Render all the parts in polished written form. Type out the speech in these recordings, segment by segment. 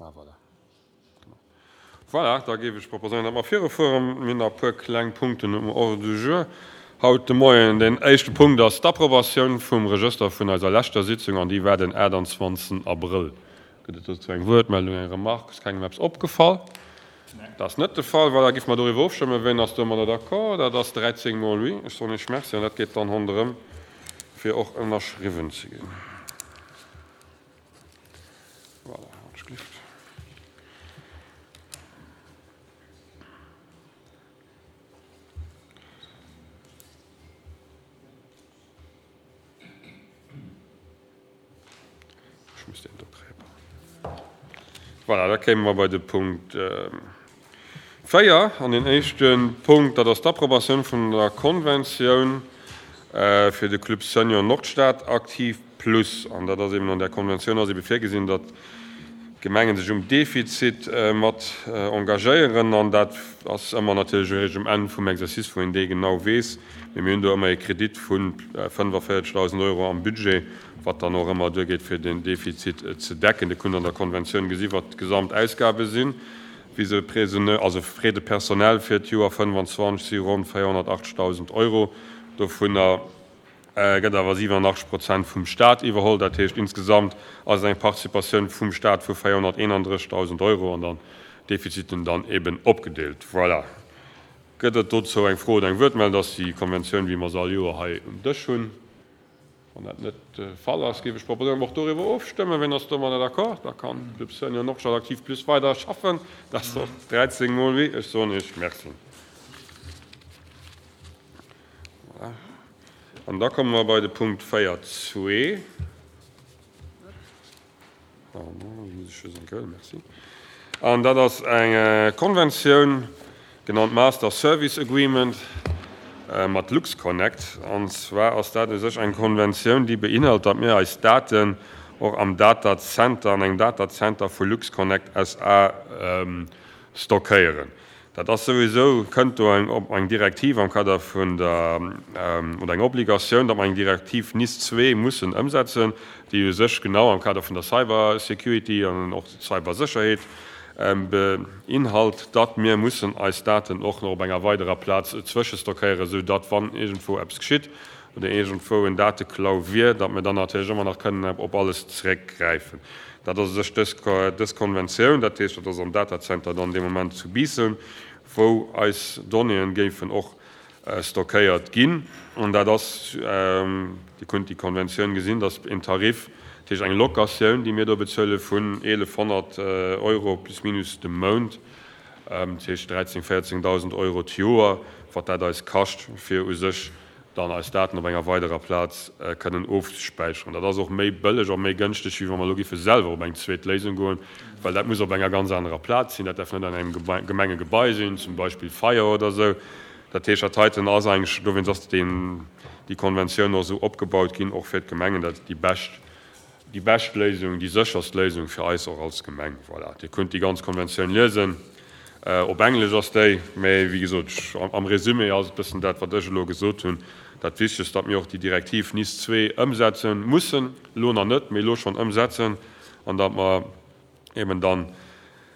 Ah, voilà. Voilà, da géif ech proposéieren, datt mer virufueren. Mir hunn nach e puer kleng Punkten um Ordre du jour haut de Moien. Deen éischte Punkt ass d'Approbatioun vum Regëster vun eiser leschter Sitzung, an déi war den 28. Abrëll. Gëtt et dozou eng Wuertmeldung, eng Remarque? Ass kengem eppes opgefall? Dat ass net de Fall. Voilà, giff mer doriwwer ofstëmmen. Ween ass domadder d'accord? Dat ass 13 mol oui. Ech soen Iech Merci an dat geet dann ronderëm, fir och ënnerschriwwen ze ginn. Voilà, alsjeblieft. Ech muss deen do kréien. Voilà, da kéime mer bei de Punkt 4. An deen éischte Punkt, dat ass d'Approbatioun vun der Konventioun fir de Club Senior Nordstad Aktiv Plus. An dat ass eben, an där Konventioun ass ebe virgesinn, datt d'Gemengen sech um Defizit mat engagéieren. An dat ass ëmmer natierlech eréischt um Enn vum Exercice, wou een dee genau weess. Mee mir hunn do ëmmer ee Kredit vu 45.000 Euro am Budget, wat dann och ëmmer duergeet, fir den Defizit ze decken. Dir kunnt an der Konventioun gesi wat d'Gesamtausgabe sinn. Also Frais de personnel fir d'Joer 25 si ronn 480.000 Euro. Dovunner gëtt awer 87 Prozent vum Staat iwwerholl. Dat heescht, insgesamt ass et eng Participatioun vum Staat vu 431.000 Euro an dann d'Defiziten dann eben opgedeelt. Voilà. Gëtt et dozou eng Fro oder eng Wuertmeldung? Dat ass déi Konventioun, wéi mer se all Joer hei um Dësch hunn. Wann dat net de Fall ass, géif ech proposéieren, datt mer och doriwwer ofstëmmen. Wien ass domadder d'accord? Da kann de Club Senior Nordstad Aktiv Plus weider schaffen. Dat ass och 13 mol oui. Ech soen Iech Merci. Voilà. An da komme mer bei de Punkt 4.2. An dat ass eng Konventioun, genannt Master Service Agreement, mat LuxConnect. An zwar ass dat u sech eng Konventioun, déi beinhalt, datt mir eis Daten och am Datacenter, an engem Datacenter vu LuxConnect SA stockéieren. Dat ass souwisou, kënnt do eng eng Direktiv am Kader vun der, oder eng Obligatioun, datt mer eng Direktiv NIS 2 mussen ëmsetzen, déi u sech genau am Kader vun der Cybersecurity an och Cybersécherheet beinhalt, datt mir mussen eis Daten och nach op enger weiderer Plaz zwëschestockéieren, esou datt, wann iergendwou eppes geschitt oder iergendwou en Dateklau wier, datt mir dann natierlech ëmmer nach kënnen op alles zeréckgräifen. Dat ass u sech dës, dës Konventioun, dat heescht, dat ass am Datacenter dann dee Moment zu Biissen, wou eis Donnéeën géifen och stockéiert ginn. An dat ass, Dir kunnt déi Konventioun gesinn, dat ass en Tarif, dat heescht eng Locatioun, déi mir do bezuele vun 1.100 Euro plus minus de Mount, dat heescht 13, 14.000 Euro d'Joer, wat dat eis kascht, fir u sech dann eis Daten op enger weiderer Plaz kënnen ofzespäicheren. Dat ass och méi bëlleg a méi gënschteg, wéi wa mer elo géife selwer op eng zweet Léisung goen, well dat muss op enger ganz anerer Plaz sinn. Dat däerf net an engem Gemengegebai sinn, zum Beispill Feier oder esou. Dat heescht, dat heiten ass eigentlech, dowéinst ass deen, déi Konventioun och esou opgebaut ginn, och fir d'Gemengen, dat déi bescht Déi bescht Léisung, déi sécherst Léisung fir eis och als Gemeng. Voilà, Dir kunnt déi ganz Konventioun liesen. Op Englesch ass déi, mä wéi gesot, am Résumé ass et bëssen dat, wat ech elo gesot hunn. Dat Wichtegst, datt mir och déi Direktiv NIS 2 ëmsetzen mussen, elo nach net, mä elo schonn ëmsetzen, an datt mer eben dann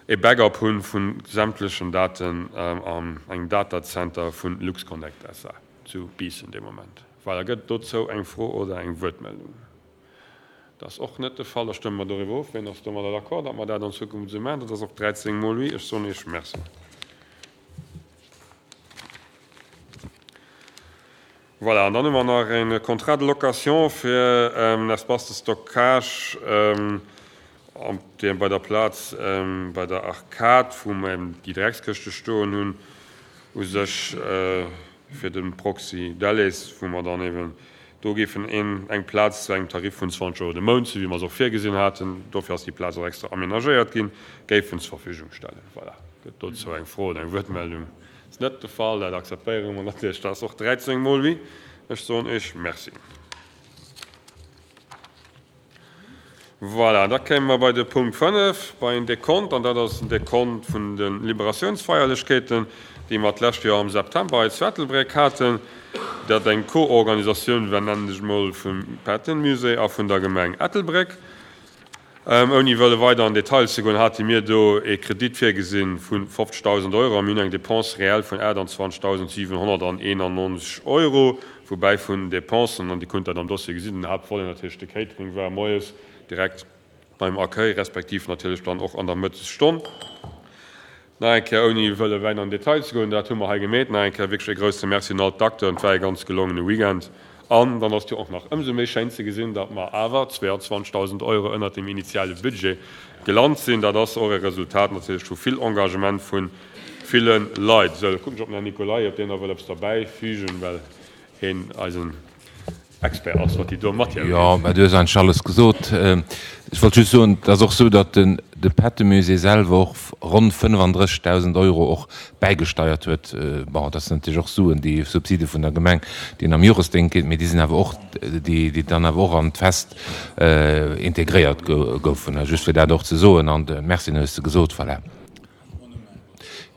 e Backup hu vu sämtlechen Daten an engem Datacenter vu LuxConnect SA zu Biissen dee Moment. Voilà, gëtt et dozou eng Fro oder eng Wuertmeldung? Dat ass och net de Fall. Da stëmme mer doriwwer of. Wien ass domadder d'accord, datt mer dat an Zukunft esou maachen? Dat ass och 13 mol oui. Ech soen Iech Merci. Voilà, an dann hu mer nach e Contrat de location fir en Espace de stockage bei der Plaz bei der Arcade, wou mer eben déi Dreckskëschte stoen hunn, u sech fir de Proxy Delles, wou mer dann eben do géifen een eng Plaz zu engem Tarif vun 20 Euro de Mount, sou wéi mer se och virgesinn haten, dofir ass déi Plaz och extra aménagéiert ginn, géifen zur Verfügung stellen. Voilà. Gëtt dozou eng Fro oder eng Wuertmeldung? Ass net de Fall. Dat akzeptéiere mer natierlech. Dat ass och 13 mol oui. Ech soen Iech Merci. Voilà, da kéime mer bei de Punkt 5, bei en Dekont, an dat ass den Dekont vun de Liberatiounsfeierlechkeeten, déi mer d'lescht Joer am September hei zu Ettelbréck haten, dat eng Co-Organisatioun war, nennen ech emol, vum Patton-Musée a vun der Gemeng Ettelbréck. Ouni wëlle weider an Detail ze goen, hate mir do ee Kredit virgesi vu 50.000 Euro a mir hunn eng Dépense réelle vun 28.791 Euro, woubäi vun Dépensen, an Dir kunnt dat am Dossier gesinn, den Haaptvolet natierlech de Catering war moies direkt beim Accueil, respektiv natierlech dann och an der Mëttesstonn. Nach eng Kéier, ouni wëlle wäit an den Detail ze goen, dat hu mer hei gemeet, nach eng Kéier wierklech e grousse Merci un all d'Acteuren. Et war e ganz gelongene Weekend. An dann ass et jo och nach ëmsou méi schéin ze gesinn, datt mer awer 22.000 Euro ënnert dem initiale Budget gelant sinn. Dat ass och e Resultat natierlech vu vill Engagement vu ville Leit. Esou, da kucken ech op den Här Nicolay, ob deen nach wëll eppes derbäifügen, well heen eisen Expert ass, wat déi do Matière ugeet. Jo, mä du hues eigentlech alles gesot. Ech wollt just soen, et ass och esou, datt den de Pettemusée selwer och ronn 35.000 Euro och bäigesteiert huet. Bon, dat sinn natierlech och Suen, déi Subside vun der Gemeng, déi een am Joresdéngt kritt, mee déi sinn awer och, déi déi dann awer och an d'Fest integréiert goufen. Just fir dat och ze soen. An de Merci, hues de gesot. Voilà.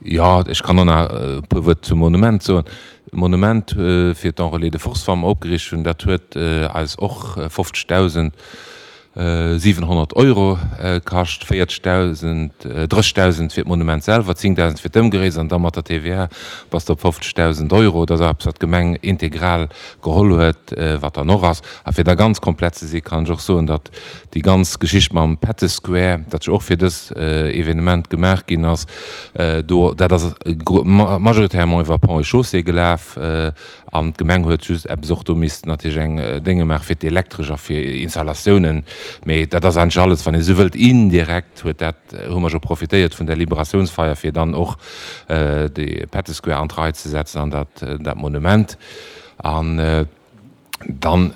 Jo, ech kann och nach e puer Wuert zum Monument soen. D'Monument fir d'Enrôlés de force, wat mer opgeriicht hunn, dat huet eis och 50.700 Euro kascht, 40.000, 30.000 fir d'Monument selwer, 10.000 fir d'Ëmgeréis an da mat der TVA bass de op 50.000 Euro. Dat ass eppes, wat d'Gemeng integral geholl huet, wat dann och ass. A fir da ganz komplett ze si kann ech och soen, datt déi ganz Geschicht mam Pette Square, dat jo och fir dës Evenement gemaach ginn ass, do, dat ass majoritairement iwwer Ponts et Chaussées gelaf an d'Gemeng huet just eppes och do missten natierlech eng Dénge maache fir d'Elektresch a fir Installatiounen, mee dat ass eigentlech alles, wann ee sou wëllt, indirekt huet dat, hu mer jo profitéiert vun der Liberatiounsfeier, fir dann och de Pette Square an d'Rei ze setzen an dat, dat Monument. An. Dann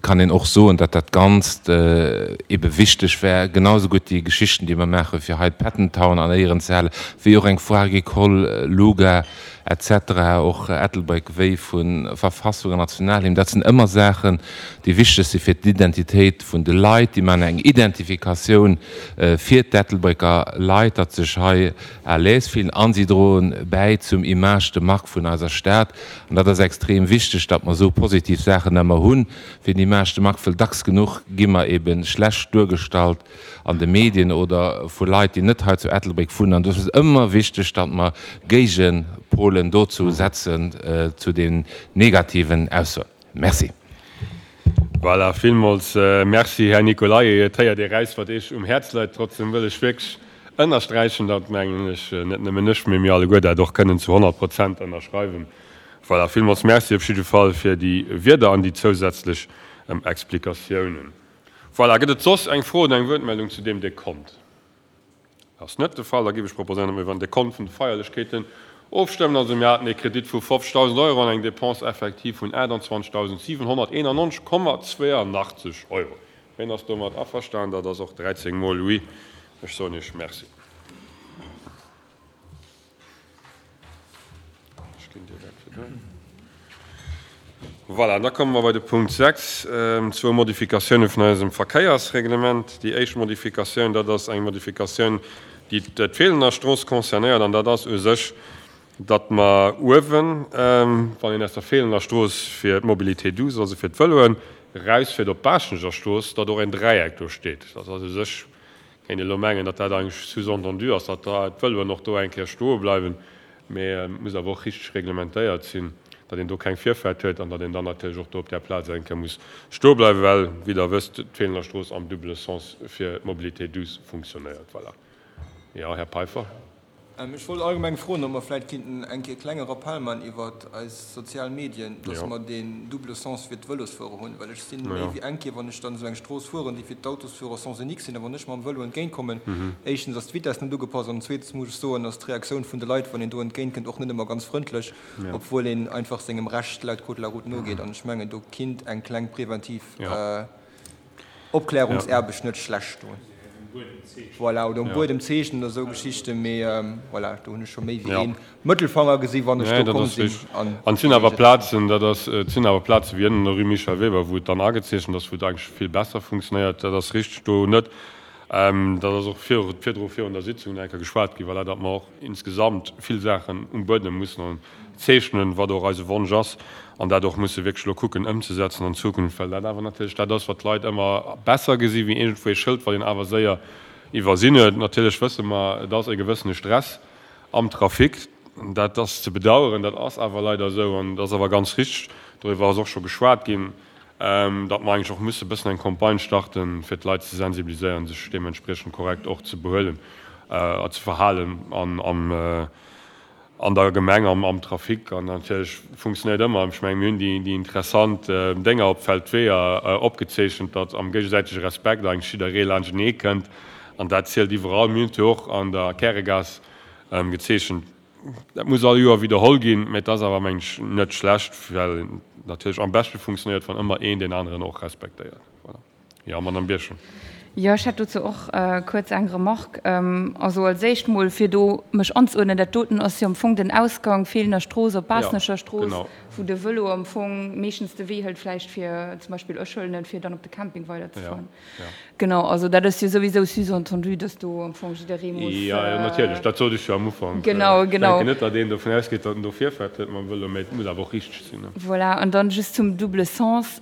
kann een och soen, datt dat Ganzt ebe wichteg war, genau esou gutt déi Geschichten, déi mer maachen, fir hei d'Pettentown an Éieren ze halen, wéi och eng Foire Agricole, Luga et cetera, och Ettelbréck wéi vu Verfassung an Nationalhymn. Dat sinn ëmmer Saachen, déi wichteg si fir d'Identitéit vun de Leit, déi maachen eng Identifikatioun fir d'Ettelbrécker Leit, datt se sech hei à l'aise fillen a si droen bäi zum Image de marque vun eiser Stad. An dat ass extrem wichteg, datt mer esou positiv Saachen ëmmer hunn, fir den Image de marque, wëll dacks genuch gi mer ebe schlecht duergestallt an de Medien oder vu Leit, déi net hei zu Ettelbréck wunnen. An dofir ass et ëmmer wichteg, datt mer Géigepolen dozou setzen, zu den negativen Aussoen. Merci. Voilà, villmools Merci, Här Nicolay. Et héiert ee raus, wat Iech um Häerz läit. Trotzdem wëll ech wierklech ënnersträichen, datt, mengen ech, net nëmmen ech, mee mir alleguer dat och kënnen zu 100 Prozent ënnerschreiwen. Voilà, villmools Merci op jidde Fall fir déi Wierder an déi zousätzlech Explikatiounen. Voilà, gëtt et soss eng Fro oder eng Wuertmeldung zu deem Dekont? Ass net de Fall. Da géif ech proposéieren, datt mir iwwer den Dekont vun de Feierlechkeeten ofstëmmen. Also mir haten ee Kredit vu 50.000 Euro an eng Dépense effective vun 28.791,82 Euro. Ween ass domat averstanen? Dat ass och 13 mol oui. Ech soen Iech Merci. Ech ginn dir dat fir duer. Voilà, da komme mer bei de Punkt 6, zwou Modifikatioune vun eisem Verkéiersreglement. Déi éischt Modifikatioun, dat ass eng Modifikatioun, déi d'Feelener Strooss concernéiert, an dat ass u sech, datt mer uewen, wann een aus der Feelener Strooss fir d'Mobilité douce, also fir d'Vëloen, erausfiert op d'Baaschtnecher Strooss, datt och en Dräieck do steet. Dat ass u sech Kéint een elo mengen, datt dat eigentlech sous-entendu ass, datt d'Vëloen och do eng Kéier stoe bleiwen, mee et muss awer och richteg reglementéiert sinn, datt een do keng Virfahrt huet an datt een dann natierlech och do op där Plaz eng Kéier muss stoe bleiwen, well, wéi Der wësst, d'Feelener Strooss am double sens fir d'Mobilité douce funktionéiert. Voilà. Jo, Här Peiffer. Ech wollt allgemeng froen, ob mer vläicht kinnten eng Kéier e klenge Rappell man iwwert eis sozial Medien, dass mer deen double sens fir d'Vëlosfuerer hunn, well ech sinn méi wéi eng Kéier, wann ech dann esou eng Strooss fueren, déi fir d'Autosfuerer sens unique sinn, a wann ech mam Vëlo entgéintkommen, éischtens ass d'Vitesse net ugepasst an zweetens muss ech soen, ass d'Reaktioun vun de Leit, wann een do entgéintkënnt, och net ëmmer ganz frëndlech, obwuel een einfach sengem Recht laut Code de la route nogeet. An ech mengen, do kinnt eng kleng preventiv. Opklärungsaarbecht net schlecht doen. Voilà, oder um Buedem zeechnen oder esou Geschichten, mee voilà, do hunn ech scho méi wéi ee Mëttelfanger gesi wann ech do komm sinn. An et sinn awer Plazen, dat ass, et sinn awer Plaze wéi ënnen an der Rue Michel Weber, wou et dann agezeechent ass, wou et eigentlech vill besser funktionéiert. Dat ass richteg do net. Dat ass och virdru virun der Sitzung nach eng Kéier geschwat ginn, voilà, datt mer och insgesamt vill Saachen um Buedem mussen zeechnen, wat och eise Wonsch ass, an dat och musse wierklech elo kucken ëmzesetzen an Zukunft, well dat awer natierlech dat ass, wat d'Leit ëmmer besser gesi wéi iergendwou ee Schëld, wat een awer séier iwwersinn huet. Natierlech wësse mer, et ass e gewëssene Stress am Trafic, dat ass ze bedauern, dat ass awer leider esou an et ass awer ganz richteg, doriwwer ass och scho geschwat ginn, datt mer eigentlech och musse e bëssen eng Campagne starten, fir d'Leit ze sensibiliséieren, sech deementspriechend korrekt och ze behuelen a ze verhalen an am an der Gemeng, am am Trafic. An natierlech funktionéiert ëmmer, ech mengen, mir hunn déi déi interessant Dénger op Feldweeër opgezeechent, datt am géigesäitege Respekt eigentlech jidderee laanschtenee kënnt an dat zielt iwwerall. Mir hunn et jo och an der Käregaass gezeechent. Dat muss all Joer widderholl ginn, mä et ass awer, mengen ech, net schlecht, well natierlech am beschte funktionéiert, wann ëmmer een deen aneren och respektéiert. Voilà. Jo, Madamm Birchen. Jo, ech hätt dozou och kuerz eng Remarque. Also als éischt mol, fir do mech anzeuerdnen, dat doten ass jo am Fong den Ausgang Feelener Strooss op Baasnecher Strooss, wou de Vëlo am Fong meeschtens de Wee hëlt vläicht fir zum Beispill, ech huelen en, fir dann op de Camping weiderzefueren. Genau, also dat ass jo souwisou sous-entendu, dass do am Fong jidderee muss. Jo, jo, natierlech, dat sot ech jo am Ufank. Genau, genau. Ech denken net, datt een dovun ausgeet, datt en do Virfahrt huet mam Vëlo, mä et muss awer och richteg sinn, ne? Voilà, an dann just zum double sens.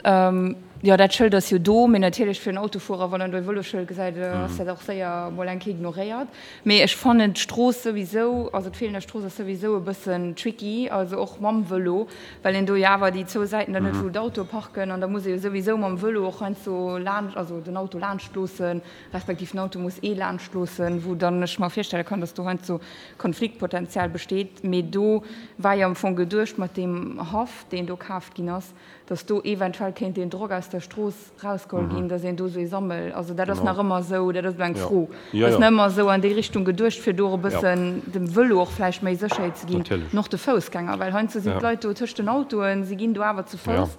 Jo, dat Schëld ass jo do, mee natierlech fir en Autofuerer, wann en do e Vëlosschëld gesäit, ass dat och séier mol eng Kéier ignoréiert. Mee ech fannen d'Strooss souwisou, also d'Feelener Strooss ass souwisou e bëssen tricky, also och mam Vëlo, well een do jo awer déi zwou Säiten dann huet, wou d'Autoe parken an da muss ee jo souwisou mam Vëlo och heiansdo laanscht, also den Auto laanscht loossen, respektiv den Auto muss ee laanscht loossen, wou dann ech mer virstelle kann, dass do heiansdo Konfliktpotenzial besteet. Mee do war jo am Fong geduecht mat deem Haff, deen do kaaft ginn ass, dass do eventuell kéint deen Drock aus der Strooss rausgeholl ginn, dass een do esou ee Sammel, also dat ass nach ëmmer esou, dat ass elo eng Fro, dat ass nach ëmmer esou an déi Richtung geduecht, fir do och e bëssen dem Vëlo och vläicht méi Sécherheet ze ginn an och de Foussgänger, well heiansdo sinn d'Leit do tëscht den Autoen, si ginn do awer zu Fouss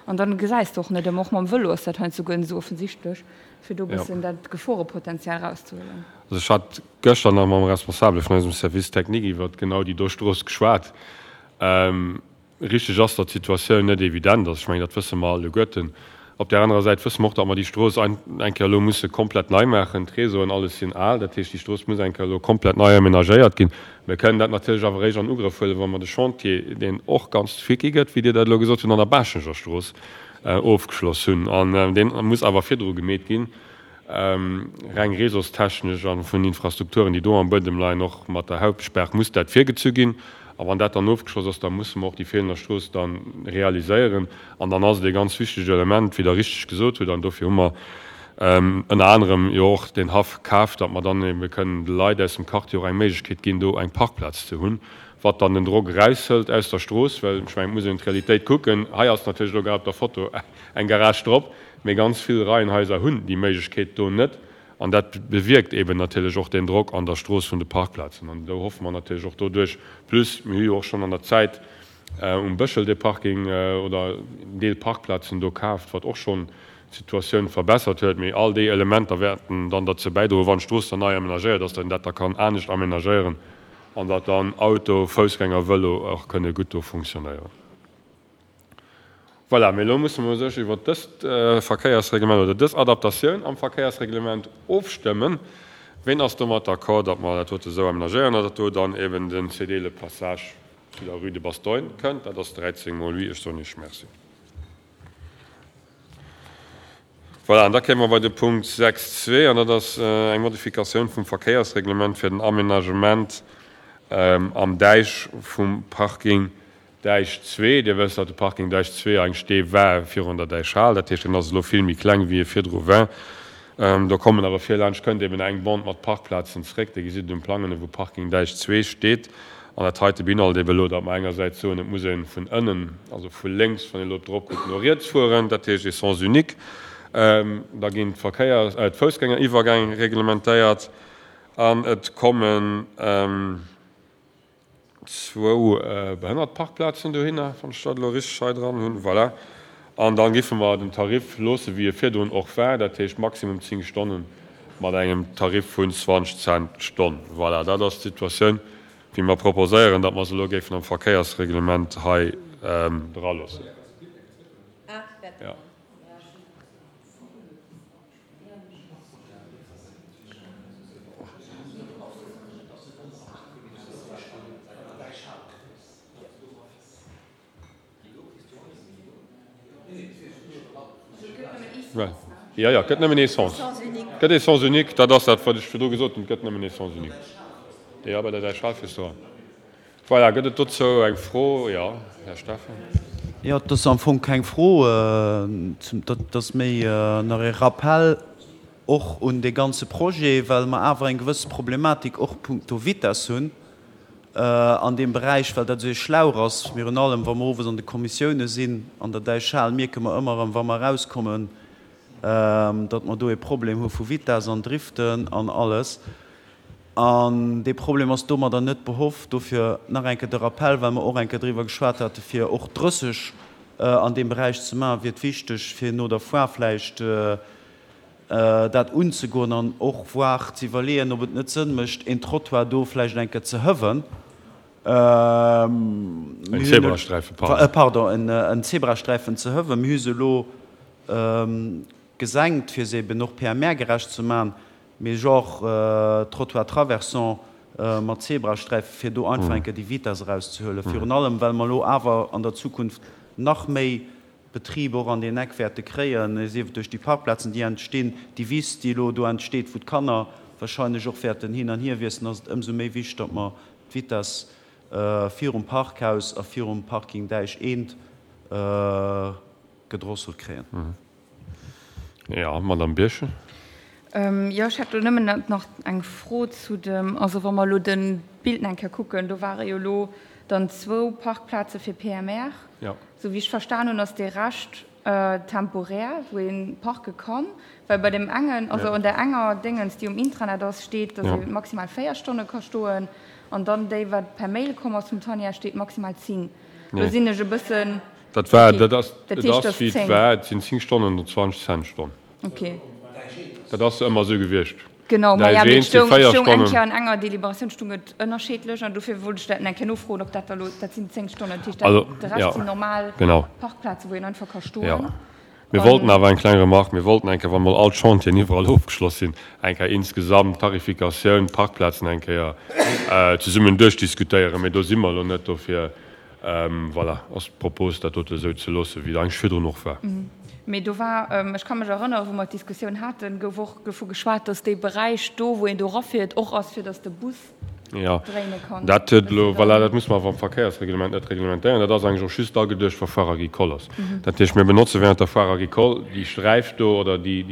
an dann gesäis de och net ëmmer, och mam Vëlo ass dat heiansdo guer net esou offensichtlech, fir do e bëssen dat Geforepotenzial rauszehuelen. Also ech hat gëschter nach mam Responsabele vun eisem Service technique iwwert genau déi do Strooss geschwat. Richteg ass, datt d'Situatioun net evident ass. Ech mengen, dat wësse mer alleguerten. Op där anerer Säit wësse mer och, datt mer déi Strooss eng Kéier elo musse komplett nei maachen. D'Réseauen, alles sinn al. Dat heescht, déi Strooss muss eng Kéier elo komplett nei amenagéiert ginn. Mir kënnen dat natierlech awer eréischt an Ugrëff huelen, wa mer de Chantier, deen och ganz tricky gëtt, wéi Dir dat elo gesot hutt, an der Baaschenger Strooss ofgeschloss hunn. An dee muss awer virdru gemeet ginn. Reng réseaustechnesch a vun Infrastrukturen, déi do am Buedem leien, och mat der Hauptsperr, muss dat virgezu ginn. A wann dat dann ofgeschloss ass, da musse mer och déi Feelener Strooss da realiséieren. An dann ass et ee ganz wichtegt Element, wéi Der richteg gesot hutt, an dofir hu mer ënner anerem jo och deen Haff kaf, datt mer dann ebe kënnen de Leit aus dem Quartier och eng Méiglechkeet ginn, do eng Parkplaz ze hunn, wat dann den Drock eraushëlt aus der Strooss. Well ech mengen, et muss een d'Realitéit kucken. Hei ass natierlech elo grad op der Foto eng Garage drop, mee ganz vill Reihenhaiser hunn déi Méiglechkeet do net. An dat bewierkt eeben natierlech och deen Drock an der Strooss vun de Parkplazen. An do hoffe mer natierlech och doduerch, plus mir hu jo och schonn an der Zäit um Bëschel dee Parking oder en Deel Parkplazen do kaaft, wat och schonn d'Situatioun verbessert huet. Mee all déi Elementer wäerten dann derzou bäidroen, wann d'Strooss dann nei amenagéiert ass, datt een dat da kann anescht amenagéieren an datt dann Auto, Foussgänger, Vëlo och kënne gutt do funktionéieren. Voilà, mee elo musse mer u sech iwwert dëst Verkéiersreglement oder dës Adaptatioun am Verkéiersreglement ofstëmmen. Ween ass domat d'accord, datt mer dat dote esou amenagéieren a datt do dann eben den Céder le passage zu der Rue de Bastogne kënnt? Dat ass 13 mol oui. Ech soen Iech Merci. Voilà, an da kéime mer bei de Punkt 6.2, an dat ass eng Modifikatioun vum Verkéiersreglement fir den Amenagement am Däich vum Parking Däich 2, Dir wësst, datt de Parking Däich 2 eigentlech dee war virun der Däichhal. Dat heescht, en ass elo vill méi kleng, wéi e virdru war. Do kommen awer virlaanscht kënnt eben eng Bande mat Parkplazen zréck. Dir gesitt et um Plang ënne wou Parking Däich 2 steet. An dat heite beinhalt eben elo, datt mer engersäits soen, et muss ee vun ënnen, also vu lénks, wann een elo drop kuckt, no riets fueren. Dat heescht ee Sens unique. Da ginn d'Verkéiers-, d'Foussgängeriwwergäng reglementéiert an et kommen, Zwou Behënnertparkplazen dohinner, wann ech dat elo richteg hei dran hunn. Voilà. An da giffe mer den Tarif loosse wéi e virdrun och war, dat heescht maximum 10 Stonne mat engem Tarif vun 20 Cent d'Stonn. Voilà, dat ass d'Situatioun, wéi mer proposéieren, datt mer se elo géifen am Verkéiersreglement hei draloossen. Jo, jo, et gëtt nëmmen ee Sens. Et gëtt ee Sens unique, dat ass dat, wat ech virdru gesot hunn, et gëtt nëmmen ee Sens unique. Jo, bei der Däichhal fiers du eran. Voilà, gëtt et dozou eng Fro? Jo, Här Steffen. Jo, et ass am Fong keng Fro, dat ass méi nach ee Rappell och un dee ganze Projet, well mer awer eng gewësse Problematik och punkto Vitess hunn an deem Beräich, well dat esou ee Schlauch ass. Virun allem, wa mer owes an de Kommissioune sinn an der Däichhal, mierke mer ëmmer erëm, wa mer erauskommen, datt mer do ee Problem hu vu Vitess an Driften an alles. An dee Problem ass domadder net behoff. Dofir nach eng Kéier de Rappell, well mer och eng Kéier driwwer geschwat hate fir och 30 an deem Beräich ze maachen, wier et wichteg, fir no der Foire vläicht dat unzegoen an och voire ze iwwerleeën, ob et net Sënn mécht, een Trottoir do vläicht eng Kéier ze hëwen. En Zebrasträifen, pardon. Pardon, en Zebrasträifen ze hëwen. Mir hu se elo gesenkt, fir se eben och PMR-gerecht ze maachen. Mee genre Trottoir traversant mat Zebrasträifen, fir do einfach eng Kéier déi Vitess erauszehuelen. Virun allem, well mer elo awer an der Zukunft nach méi Betrib och an deen Eck wäerte kréien, sief et duerch déi Parkplazen, déi entstinn, déi Wiss, déi elo do entsteet, wou d'Kanner wahrscheinlech och wäerten hin an hier wiessen, ass et ëmsou méi wichteg, datt mer d'Vitess virum Parkhaus a virum Parking Däich eent gedrosselt kréien. Jo, Madamm Birchen. Jo, ech hätt elo nëmmen nach eng Fro zu dem, also wa mer elo de Bild nach eng Kéier kucken, do ware jo elo dann zwou Parkplaze fir PMR. Jo. Esou wéi ech verstan hunn, ass dee Rescht temporär, wou ee parke kann, well bei deem engen, also an där enger Déngens, déi um Intranet ass, steet, datt ee maximal 4 Stonne ka stoen an dann déi, wat per Mail komm ass vum Tanja, steet maximal 10. Do sinn ech e bëssen. Dat war, dat ass, et ass wéi et war, et sinn 10 Stonnen oder 20 Cent d'Stonn. Okay. Dat ass ëmmer esou gewiescht. Genau, ma ja, mee et stoung, et stoung eng Kéier an enger Deliberatioun stoung et ënnerscheedlech an dofir wollt ech dat eng Kéier nofroen, ob dat da elo, dat sinn 10 Stonnen, dat heescht dat, de Rescht sinn normal Parkplazen, wou een einfach ka stoen. Jo. Mir wollten awer, eng kleng Remarque, mir wollten eng Kéier, wa mol all d'Chantieren iwwerall ofgeschloss sinn, eng Kéier insgesamt d'Tarifikatioun, d'Parkplazen eng Kéier zesummen duerchdiskutéieren, mee do si mer elo net. Dofir Voilà, ass d'Propos, dat dote esou ze loossen, wéi et eigentlech virdrun och war. Mee do war, ech ka mech erënneren, wou mer d'Diskussioun haten, gouf och dovu geschwat, dass dee Beräich do, wou een do erafiert, och ass, fir dass de Bus dréine kann. Jo, dat huet elo, voilà, dat muss mer awer am Verkéiersreglement net reglementéieren. Dat ass eigentlech och just ageduecht, wa Foire agricole ass. Dat heescht, mir benotze während der Foire agricole déi Sträif do oder déi,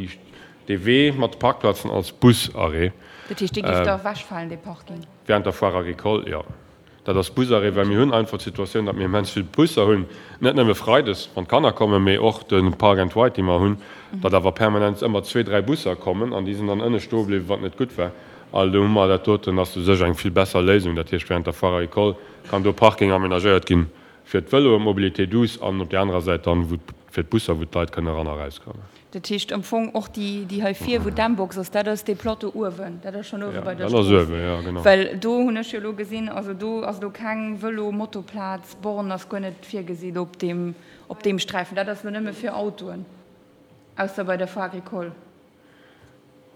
dee Wee mat de Parkplazen als Busarrêt. Dat heescht, dee géif da ewechfalen, dee Parking? Während der Foire agricole, jo. Dat ass Busarrêt, well mir hunn einfach d'Situatioun, datt mir immens vill Busser hunn, net nëmme freides, wann d'Kanner kommen, mee och de Park and Ride, dee mer hunn, datt awer permanent ëmmer zwee, dräi Busser kommen an déi sinn dann ënne stoe bliwwen, wat net gutt war. Al do hu mer dat doten, ass u sech eng vill besser Léisung. Dat heescht, während der Foire Agricole kann do Parking amenagéiert ginn fir d'Vëloen, d'Mobilité douce, an op där anerer Säit dann wou fir d'Busser, wou d'Leit kënnen eran a erauskommen. Dat heescht am Fong och déi, déi hei vir, wou d'Mbox ass, dat ass dee Plateau uewen, dat ass schonn uewe bei der Strooss. Dat ass uewen, jo, genau. Well do hunn ech jo elo gesinn, also do ass elo keng Vëlo-Moto-Plaz, Born ass guer net virgesinn op deem, op deem Sträifen. Dat ass elo nëmme fir Autoen, ausser bei der Foire agricole.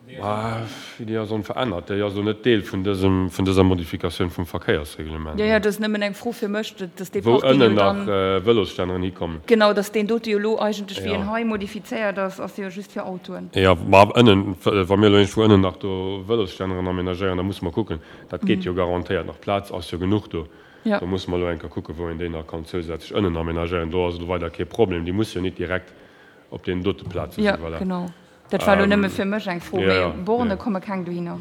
Déi ass onverännert. Déi ass elo net Deel vun dësem, vun dëser Modifikatioun vum Verkéiersreglement. Jo, jo, dat ass nëmmen eng Fro fir mech, dass dee Parking jo dann. Wou ënnen nach Vëlosstänneren hikommen. Genau, dass deen dote jo elo eigentlech, wéi en hei modifizéiert ass, ass jo just fir Autoen. Jo, ma ënnen, wa mir elo iergendwou ënnen nach do Vëlosstänneren amenagéieren, da musse mer kucken. Dat geet jo garantéiert nach. Plaz ass jo genuch do. Do musse mer elo eng Kéier kucken, wou een déi nach kann zousätzlech ënnen amenagéieren. Do ass elo weider kee Problem. Déi musse jo nit direkt op deenen dote Plaze sinn. Jo, genau. Dat war elo nëmme fir mech eng Fro, mee Borne komme keng dohinner?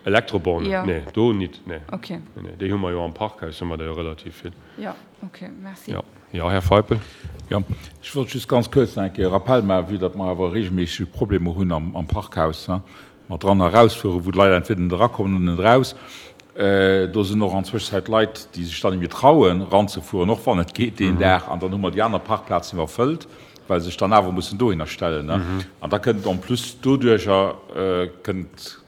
Elektrobornen? Jo. Nee, do nit, nee. Ok. Nee, déi hu mer jo am Parkhaus, hu mer der jo relativ vill. Jo, ok, merci. Jo, jo, Här Feipel. Jo, ech wollt just ganz kuerz nach eng Kéier e Rappell maachen, vue datt mer awer regelméisseg Problemer hunn am Parkhaus, mat dran a rausfueren, wou d'Leit entweder net erakommen oder net eraus. Do sinn och an Zwëschzäit Leit, déi sech dann net méi trauen, eranzefueren, och wann et geet deen Dag. An dann hu mer déi aner Parkplazen iwwerfëllt, well se sech dann awer mussen dohinner stellen. An da kënnt en plus doduercher kënnt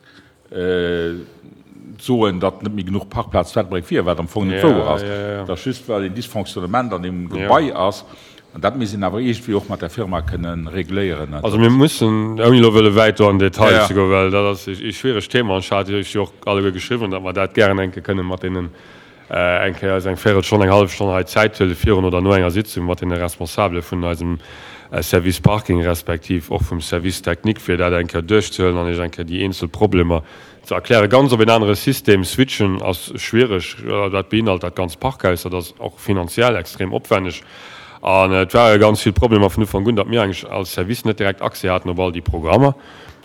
soen, datt net méi genuch Parkplaz zu Ettelbréck wier, wat am Fong net wouer ass. Et ass just, well een Dysfonctionnement an deem Gebai ass. An dat misst een awer iergendwéi och mat der Firma kënne regléieren. Also mir mussen, ouni elo wëlle wäit do an den Detail ze goen, well dat ass ee schwieregt Thema an ech hat Iech jo och alleguer geschriwwen, datt mer dat gären eng Kéier kënne mat deenen eng Kéier eis eng Véirelstonn, eng hallef Stonn hei Zäit huele virun oder no enger Sitzung mat deene Responsabele vun eisem. Service Parking respektiv och vum Service Technique, fir dat eng Kéier duerchzehuelen an Iech eng Kéier déi eenzel Problemer ze erklären. Ganz op een anere System switchen ass schwiereg. Dat beinhalt dat ganzt Parkhaus. Dat ass och finanziell extrem opwenneg. An et ware ganz vill Problemer vun Ufank un, datt mir eigentlech als Service net direkt Accès haten op all déi Programmer.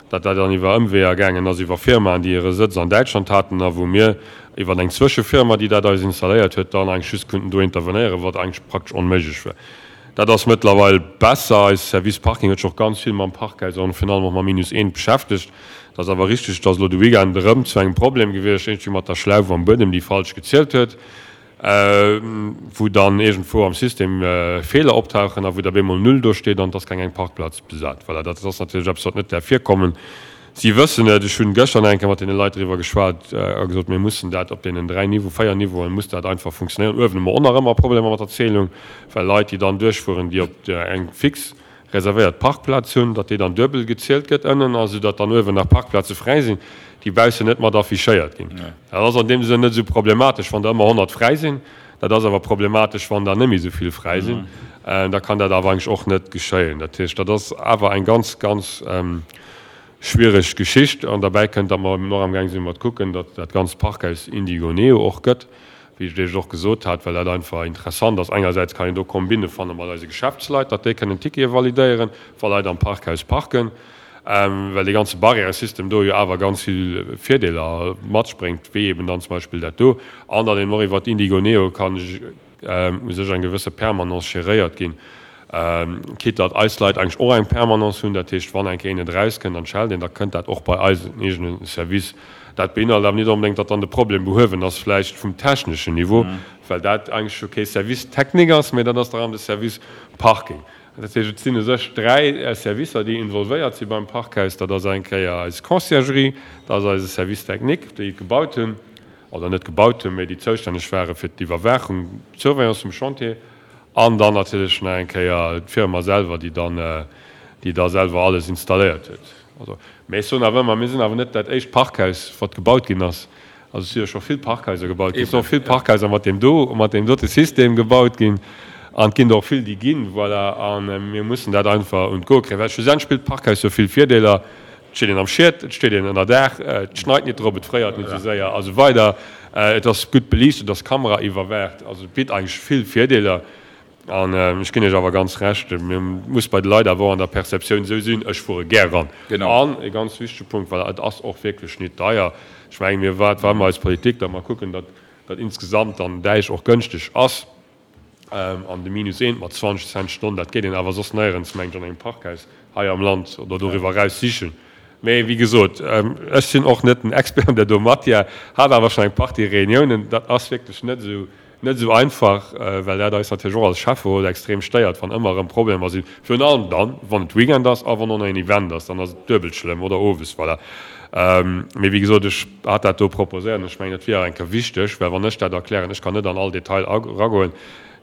Datt dat dann iwwer Ëmweeër gaangen ass, iwwer Firmaen, déi hire Sëtz an Däitschland haten a wou mir iwwer eng Zwëschefirma, déi dat eis installéiert huet, dann eigentlech just konnten do intervenéieren, wat eigentlech praktesch onméiglech war. Dat ass mëttlerweil besser. Eis Service Parking huet sech och ganz vill mam Parkhaus an virun allem och mam Minus eent beschäftegt. Et ass awer richteg, et ass elo de Weekend erëm zu engem Problem gewiescht, iergendwéi mat der Schlauf am Buedem, déi falsch gezielt huet, wou dann iergendwou am System Feeler optauchen a wou da bemol Null do steet an et ass keng eng Parkplaz besat. Voilà, dat ass natierlech eppes, wat net däerf virkommen. Si wëssen et. Ech hunn gëschter nach eng Kéier mat deene Leit driwwer geschwat a gesot, mir mussen dat op deenen dräi Niveau, véier Niveauen muss dat einfach funktionéieren. Uewen hu mer och nach ëmmer Problemer mat der Zählung, well Leit, déi dann duerchfueren, déi op eng fix reservéiert Parkplaz hunn, datt déi dann duebel gezielt gëtt ënnen, a soudatt dann uewen nach Parkplaze fräi sinn, déi baussen net mat affichéiert ginn. Dat ass an deem Sënn net esou problematesch, wann der ëmmer 100 fräi sinn. Dat ass awer problematesch, wann der net méi esou vill fräi sinn. Da kann dat awer eigentlech och net geschéien. Dat heescht, dat ass awer eng ganz, ganz schwiereg Geschicht. An derbäi kënnt, datt mer eben och amgaang sinn mat kucken, datt dat ganzt Parkhaus Indigo Neo och gëtt, wéi ech Iech och gesot hat, well dat einfach interessant ass. Engersäits kann een do Kombinne fanne mat eise Geschäftsleit, datt déi kënnen Tickete validéieren, wa Leit am Parkhaus parken, well dee ganze Barrièresystem do jo awer ganz vill Virdeeler matspréngt, wéi eben dann zum Beispill dat do. An datt een och iwwert Indigo Neo kann u sech eng gewësse Permanence geréiert ginn, quitte datt eis Leit eigentlech och eng Permanence hunn. Dat heescht, wann eng Kéier een net erauskënnt an schellt een, da kënnt dat och bei eisen eegene Service. Dat beinhalt awer net onbedéngt, datt dann de Problem behuewen ass, vläicht vum techneschen Niveau, well dat eigentlech jo kee Service technique ass, mä dat ass da rëm de Service Parking. Dat heescht, et sinn u sech dräi Servicer, déi involvéiert si beim Parkhaus. Dat ass eng Kéier eis Conciergerie, dat ass eise Service technique, déi et gebaut hunn, oder net gebaut hunn, mä déi zoustänneg ware fir d'Iwwerwaachung, d'Surveillance vum Chantier, an dann natierlech nach eng Kéier d'Firma selwer, déi dann, déi da selwer alles installéiert huet. Also, mä ech soen awer ëmmer, mir sinn awer net dat éischt Parkhaus, wat gebaut ginn ass. Also et si jo scho vill Parkhaiser gebaut ginn, et sinn och vill Parkhaiser mat deem do, mat deem dote System gebaut ginn an et ginn der och vill, déi ginn. Voilà, a mir mussen dat einfach un d'Goe kréien, well schlussendlech spillt d'Parkhaus jo vill Virdeeler. Et steet een am Schiet, et steet een ënner Daach, et schneit nit drop, et fréiert nit esou séier a sou weider. Et ass gutt beliicht, et ass kameraiwwerwaacht, also et bitt eigentlech vill Virdeeler. An ech ginn Iech awer ganz Recht, mir muss bei de Leit awer och an der Perceptioun esou sinn, ech fuere gär ran. An e ganz wichtege Punkt, voilà, et ass och wierklech nit deier. Ech mengen, mir, wat war ëmmer eis Politik, datt mer kucken, datt dat insgesamt dann Däich och gënschteg ass. An de Minus eent mat 20 Cent d'Stonn, dat geet een awer soss néierens, mengen ech, an engem Parkhaus hei am Land oder doriwwer eraus sichen. Mee wéi gesot, ech sinn och net den Expert an där do Matière, hat awer schonn eng Partie Reuniounen. Dat ass wierklech net esou, net esou einfach, well dat eis natierlech och als Schäfferot extrem stéiert, wann ëmmer erëm Problemer sinn. Virun allem dann, wann et Weekend ass a wann och nach een Event ass, dann ass et duebelt schlëmm, oder owes, voilà. Mee wéi gesot, ech hat dat do proposéiert an ech mengen, et wier eng Kéier wichteg, well wann ech dat erklären, ech kann net an all Detail eragoen,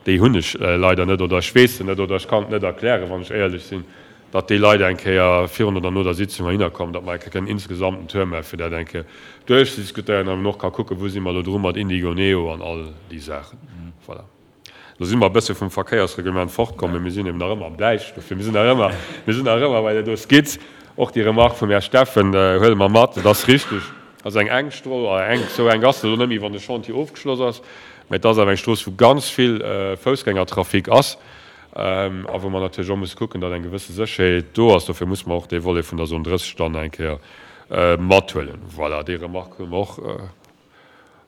déi hunn ech leider net oder ech weess se net oder ech kann et net erklären, wann ech éierlech sinn, datt déi Leit eng Kéier virun oder no der Sitzung heihinner kommen, datt mer eng Kéier kënnen insgesamt en Tour maachen, fir dat eng Kéier duerchzediskutéieren an eben och ka kucken, wou si mer elo dru mat Indigo Neo an all déi Saachen. Voilà. Lo si mer e bësse vum Verkéiersreglement fortkomm, mee mir sinn eben nach ëmmer am Däich. Dofir, mir sinn nach ëmmer, mir sinn nach ëmmer bei där do Skizz. Och déi Remark vum Här Steffen huele mer mat. Et ass richteg, et ass eng enk Strooss, oder enk, esou enk ass se elo net méi, wann de Chantier ofgeschloss ass, mä et ass awer eng Strooss, wou ganz vill Foussgängertrafic ass a wou mer natierlech och musse kucken, datt eng gewësse Sécherheet do ass. Dofir musse mer och dee Volet vun der Zone 30 dann eng Kéier mathuelen. Voilà, déi Remark huele mer och.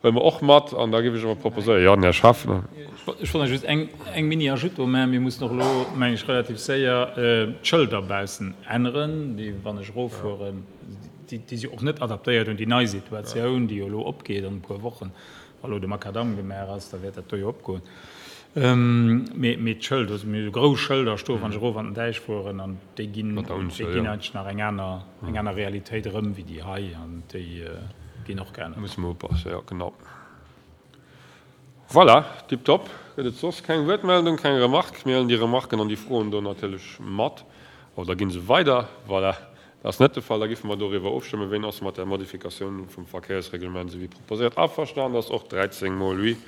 Huele mer och mat an da géif ech awer proposéieren, jo, den Här Schaffner. Ech wollt nach just eng Mini-Ajoute do maachen. Mir mussen och elo, mengen ech, relativ séier d'Schëlder baussen änneren, déi, wann ech eroffueren, déi si och net adaptéiert un déi nei Situatioun, déi jo elo opgeet an e puer Wochen. Wa elo de Makadamm gemaach ass, da wäert dat do jo opgoen. Mee d'Schëlder, also mir hu grouss Schëlder stoen, wann ech erof an den Däich fueren, an déi ginn, déi ginn eigentlech nach eng aner, eng aner Realitéit erëm wéi déi hei, an déi ginn och geännert. Musse mer upassen, jo, genau. Voilà, tiptop. Gëtt et soss keng Wuertmeldung, keng Remarque? Mir huelen déi Remarken an déi Froen do natierlech mat oder gi se weider. Voilà, dat ass net de Fall. Da géife mer doriwwer ofstëmmen. Ween ass mat där Modifikatioun vum Verkéiersreglement, esou wéi proposéiert, averstanen? Dat ass och 13 mol oui.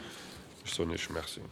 Ech soen Iech Merci.